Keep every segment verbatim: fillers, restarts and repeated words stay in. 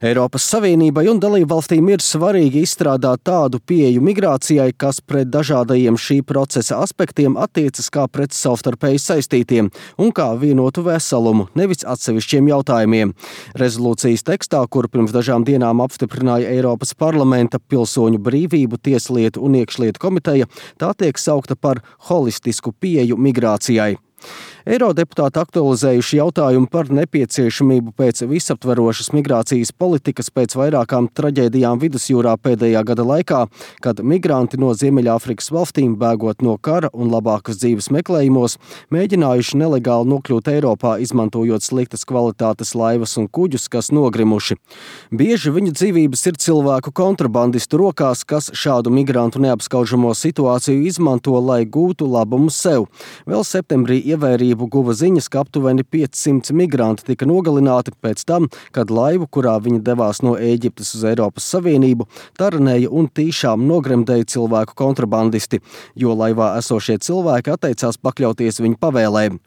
Eiropas Savienībai un dalībvalstīm ir svarīgi izstrādāt tādu pieeju migrācijai, kas pret dažādajiem šī procesa aspektiem attiecas kā pret savstarpēji saistītiem un kā vienotu veselumu, nevis atsevišķiem jautājumiem. Rezolūcijas tekstā, kuru pirms dažām dienām apstiprināja Eiropas parlamenta pilsoņu brīvību, tieslietu un iekšlietu komiteja, tā tiek saukta par holistisku pieeju migrācijai. Eirodeputāti aktualizējuši jautājumu par nepieciešamību pēc visaptverošas migrācijas politikas pēc vairākām traģēdijām Vidusjūrā pēdējā gada laikā, kad migranti no Ziemeļāfrikas valstīm, bēgot no kara un labākas dzīves meklējumos, mēģinājuši nelegāli nokļūt Eiropā, izmantojot sliktas kvalitātes laivas un kuģus, kas nogrimuši. Bieži viņu dzīvības ir cilvēku kontrabandistu rokās, kas šādu migrantu neapskaužamo situāciju izmanto, lai gūtu labumu sev. Vēl septembrī ievērību guva ziņas, ka aptuveni piecsimt migranti tika nogalināti pēc tam, kad laivu, kurā viņi devās no Ēģiptes uz Eiropas Savienību, taranēja un tīšām nogremdēja cilvēku kontrabandisti, jo laivā esošie cilvēki atteicās pakļauties viņu pavēlēm.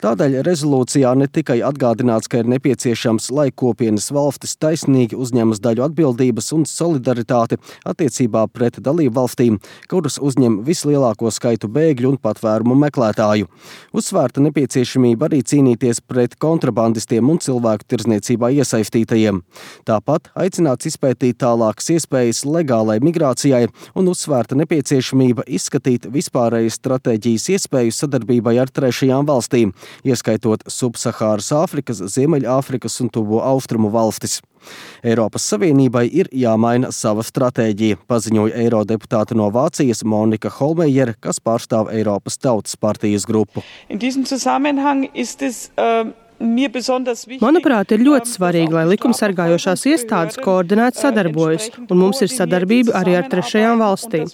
Tādēļ rezolūcijā ne tikai atgādināts, ka ir nepieciešams, lai kopienas valstis taisnīgi uzņemas daļu atbildības un solidaritāti attiecībā pret dalību valstīm, kuras uzņem vislielāko skaitu bēgļu un patvērumu meklētāju. Uzsvērta nepieciešamība arī cīnīties pret kontrabandistiem un cilvēku tirdzniecībā iesaistītajiem. Tāpat aicināts izpētīt tālākas iespējas legālai migrācijai un uzsvērta nepieciešamība izskatīt vispārējas stratēģijas iespēju sadarbībai ar trešajām valstīm, ieskaitot Subsahāras Āfrikas, Ziemeļāfrikas un Tuvo Austrumu valstis. Eiropas Savienībai ir jāmaina sava stratēģija, paziņoja eirodeputāte no Vācijas Monika Holmejere, kas pārstāv Eiropas Tautas partijas grupu. Manuprāt, ir ļoti svarīgi, lai likumsargājošās iestādes koordinēti sadarbojas, un mums ir sadarbība arī ar trešajām valstīm.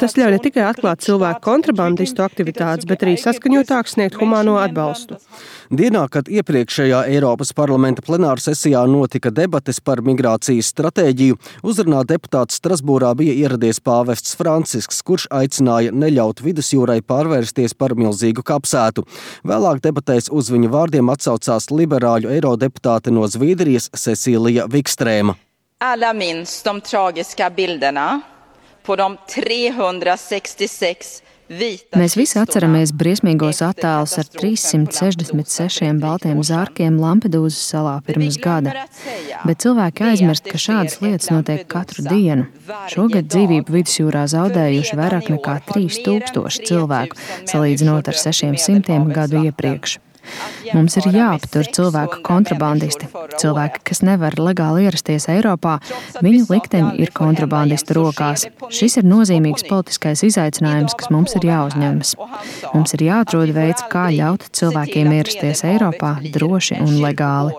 Tas ļauj ne tikai atklāt cilvēku kontrabandistu aktivitātes, bet arī saskaņotāk sniegt humāno atbalstu. Dienā, kad iepriekšējā Eiropas parlamenta plenāra sesijā notika debates par migrācijas stratēģiju, uzrunā deputāts Strasbūrā bija ieradies pāvests Francisks, kurš aicināja neļaut Vidusjūrai pārvērsties par milzīgu kapsētu. Vēlāk debatēs uz viņa vārdiem atsaucās liberāļu eirodeputāte no Zviedrijas Cecīlija Vikstrēma. Alla minns de tragiska bilderna på de trehundrasextiosex Mēs visi atceramies briesmīgos attēlus ar trīssimt sešdesmit sešiem baltiem zārkiem Lampedūzas salā pirms gada. Bet cilvēki aizmirst, ka šādas lietas notiek katru dienu. Šogad dzīvību Vidusjūrā zaudējuši vairāk nekā trīs tūkstoši cilvēku, salīdzinot ar sešiem simtiem gadu iepriekš. Mums ir jāaptur cilvēku kontrabandisti. Cilvēki, kas nevar legāli ierasties Eiropā, viņu likteņi ir kontrabandistu rokās. Šis ir nozīmīgs politiskais izaicinājums, kas mums ir jāuzņemas. Mums ir jāatrod veids, kā ļaut cilvēkiem ierasties Eiropā droši un legāli.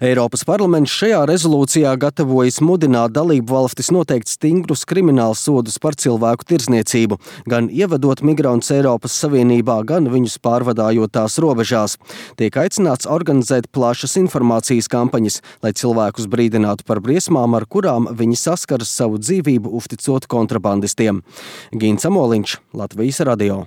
Eiropas parlaments šajā rezolūcijā gatavojas mudināt dalību valstis noteikt stingrus kriminālus sodus par cilvēku tirdzniecību, gan ievedot migrantus Eiropas Savienībā, gan viņus pārvadājot tās robežās. Tiek aicināts organizēt plašas informācijas kampaņas, lai cilvēkus brīdinātu par briesmām, ar kurām viņi saskaras savu dzīvību uzticot kontrabandistiem. Gins Amoliņš, Latvijas radio.